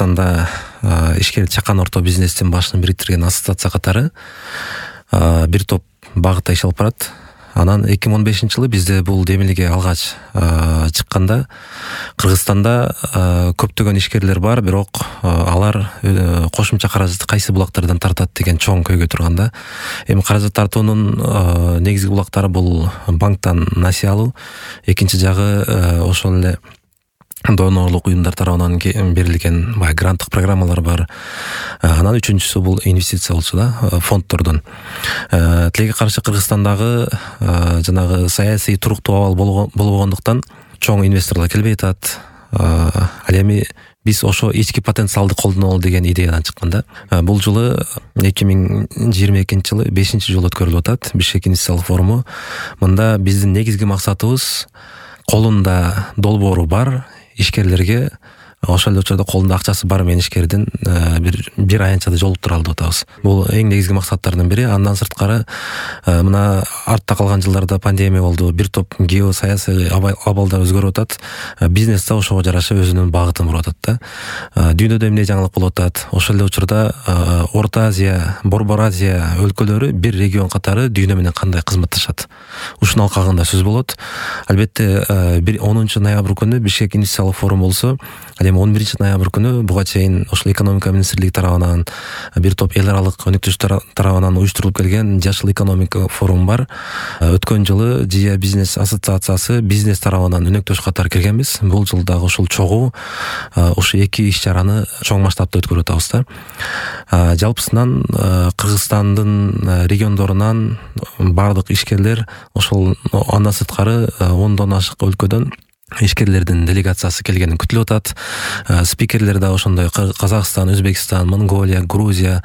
Кыргызстанда ишкер чакан орто бизнестин башын бириктирген ассоциация катары бир топ багытта иш алып барат. Анан 2015-жылы бизде бул демилге алгач чыкканда Кыргызстанда көптөгөн ишкерлер бар, бирок алар кошумча каражатты кайсы булактардан тартат деген чоң көйгөй турганда, эми каражат тартуунун негизги булактары бул банктан насыя алуу, экинчи жагы ошол эле донорлук уюмдар тарабынан берилген гранттык программалар бар. Анан үчүнчүсү бул инвестиция болчу да, фонддордон. Тилеге каршы Кыргызстандагы жанагы саясий туруктуу абал болбогондуктан чоң инвесторлор келбей атат. Ал эми биз ошо ички потенциалды колдонолу деген идеядан чыкканда, бул жылы 2022-жылы 5-жолу өткөрүлүп атат Бишкек инвестициялык форуму. Мында биздин негизги максатыбыз колунда долбоору бар ишкерлерге, ошол эле учурда колунда акчасы бар менен ишкердин бир аянтчада жолуктура алуу деп атабыз. Бул эң негизги максаттардын бири. Андан сырткары мына артта калган жылдарда пандемия болду, бир топ геосаясий абалдар өзгөрүп атат. Бизнес да ошого жараша өзүнүн багытын буруп атат да. Дүйнөдө эмне жаңылык болуп атат? Ошол эле учурда Орто Азия, Борбор Азия өлкөлөрү бир регион катары дүйнө менен кандай кызматташат? Ушунун алкагында сөз болот. Албетте 10 ноябрь күнү Бишкек инвестициялык форум болсо, ал эми 11 ноябрь күнү буга чейин ошол экономика министрлиги тарабынан бир топ эл аралык өнөктөштөр тарабынан уюштурулуп келген Жашыл экономика форум бар. Өткөн жылы Жия бизнес ассоциациясы бизнес тарабынан өнөктөш катары киргенбиз. Бул жылдагы ушул чогуу ушу эки иш чараны чоң масштабта өткөрүп атабыз да. Жалпысынан Кыргызстандын региондорунан бардык ишкерлер, ошол андан сырткары 10дон ашык өлкөдөн ишкерлердин делегациясы келгени күтүлүп атат. Спикерлер да ошондой Казакстан, Өзбекстан, Монголия, Грузия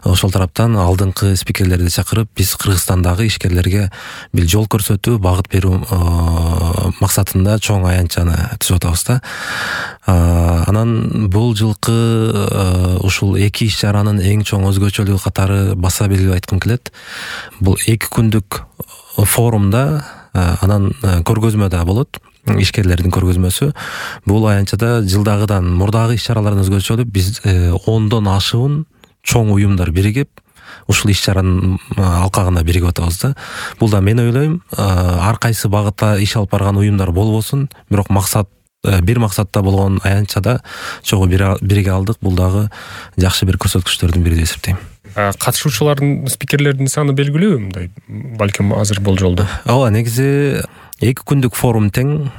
ошол тараптан алдыңкы спикерлерди чакырып, биз Кыргызстандагы ишкерлерге бир жол көрсөтүү, багыт берүү максатында чоң аянтчаны түзүп атабыз да. Анан бул жылкы ушул эки иш чаранын эң чоң өзгөчөлүгү катары баса белгилеп айткым келет. Бул 2 күндүк форумда анан көргөзмө да болот. Ишкерлердин көргөзмөсү. Бул аянтчада жылдагыдан мурдагы иш чаралардан өзгөчөлүк, биз 10дон ашуун чоң уюмдар биригип, ушул иш чаранын алкагында биригип атабыз да. Бул да мен ойлойм, ар кайсы багытта иш алып барган уюмдар болбосун, бирок бир максатта болгон аянтчада чогуу бириге алдык. Бул дагы жакшы бир көрсөткүчтөрдүн бири деп эсептейм. Катышуучулардын, спикерлердин саны белгилүү, мындай балким азыр болжолду. Ооба, негизи 2 күндүк форум тең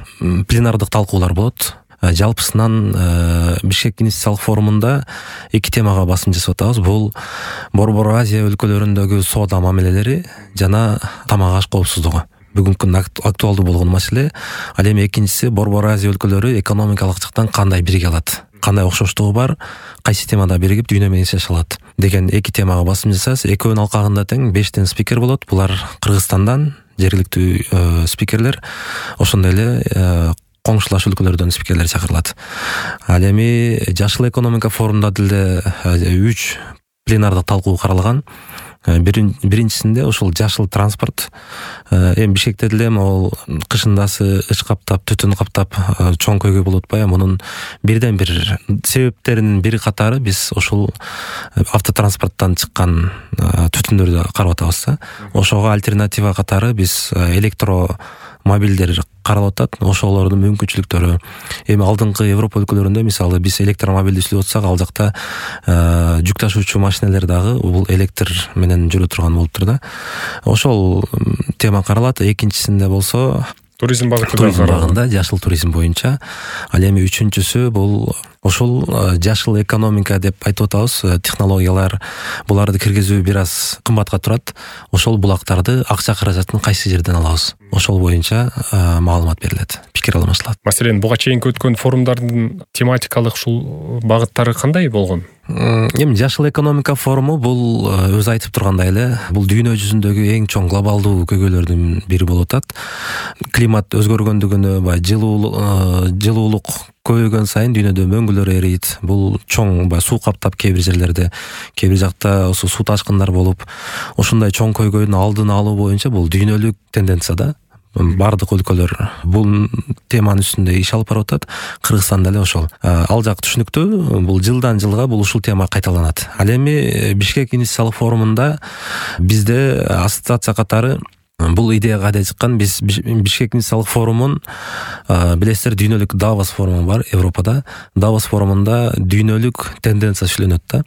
пленардык талкуулар болот. Жалпысынан Бишкек инвестициялык форумунда 2 темага басым жасап атабыз. Бул Борбор Азия өлкөлөрүндөгү соода мамилелери жана тамак аш коопсуздугу. Бүгүнкү күндө актуалдуу болгон маселе. Ал эми экинчиси, Борбор Азия өлкөлөрү экономикалык жактан кандай бириге алат, кандай окшоштугу бар, кайсы темада биригип дүйнө менен иштеше алат деген 2 темага басым жасайбыз. Экөөнүн алкагында тең 5 спикер болот. Булар Кыргызстандан жергиликтүү спикерлер, ошондой эле коңшулаш өлкөлөрдөн спикерлер чакырылат. Ал эми Жашыл экономика форумунда деле 3 пленардык талкуу каралган. Биринчисинде ошол жашыл транспорт. Эми Бишкекте деле могул кышындасы ыч каптап, түтүн каптап чоң көйгөй болуп атпайбы? Мунун бирден бир себептеринин бири катары биз ошол автотранспорттан чыккан түтүндөрдү карап атабыз да. Ошого альтернатива катары биз электромобилдер каралып атат. Ошолордун мүмкүнчүлүктөрү. Эми алдыңкы Европа өлкөлөрүндө мисалы биз электромобилди сүйлөп атсак, ал жакта жүк ташуучу машинелер дагы бул электр менен жүрө турган болуптур да. Ошол тема каралат. Экинчисинде болсо туризм багытында, жашыл туризм боюнча. Ал эми үчүнчүсү бул ошол жашыл экономика деп айтып атабыз. Технологиялар, буларды киргизүү бир аз кымбатка турат. Ошол булактарды, акча каражатын кайсы жерден алабыз? Ошол боюнча маалымат берилет, пикир алмашылат. Маселен, буга чейин өткөн форумдардын тематикалык ушул багыттары кандай болгон? Эми Жашыл экономика форуму бул өзү айтып тургандай эле, бул дүйнө жүзүндөгү эң чоң глобалдуу көйгөйлөрдүн бири болуп атат. Климат өзгөргөндүгүнө, жылуулук көбөйгөн сайын дүйнөдө мөңгүлөр эрийт. Бул чоң суу каптап кээ бир жерлерде, кээ бир жакта суу ташкындар болуп, ошондой чоң көйгөйдүн алдын алуу боюнча бул дүйнөлүк тенденция да. бардык өлкөлөр бул теманын үстүндө иш алып барып атат. Кыргызстан деле ошол. Ал жак түшүнүктүү. Бул жылдан жылга бул ушул тема кайталанат. Ал эми Бишкек инвестициялык форумунда бизде ассоциация катары бул идея кайда чыккан? Биз Бишкек инвестициялык форумун билесиздер, дүйнөлүк Давос форуму бар Европада. Давос форумунда дүйнөлүк тенденция сүйлөнөт да.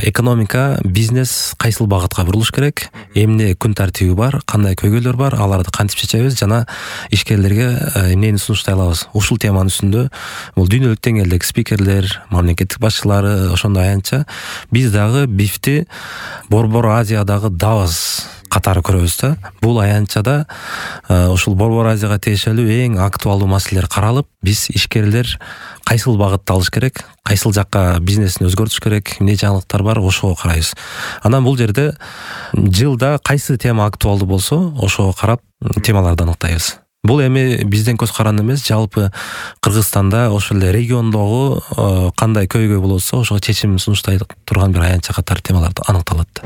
Экономика, бизнес кайсыл багытка бурулуш керек, эмне күн тартиби бар, кандай көйгөйлөр бар, аларды кантип чечебиз жана ишкерлерге эмнени сунуштай алабыз. Ушул теманын үстүндө бул дүйнөлүк деңгээлдеги спикерлер, мамлекеттик башчылары ошондой аянтча биз дагы БИФти Борбор Азиядагы Давос катары көрөбүз да. Бул аянтчада ушул Борбор Азияга тиешелүү эң актуалдуу маселелер каралып, биз ишкерлер кайсыл багытты алыш керек, кайсыл жакка бизнесин өзгөртүш керек, эмне жаңылыктар бар, ошого карайбыз. Анан бул жерде жылда кайсы тема актуалдуу болсо, ошого карап темаларды аныктайбыз. Бул эми бизден көз каранды эмес, жалпы Кыргызстанда ошол эле региондогу кандай көйгөй болсо, ошого чечим сунуштай турган бир аянтча катары темаларды аныкталат.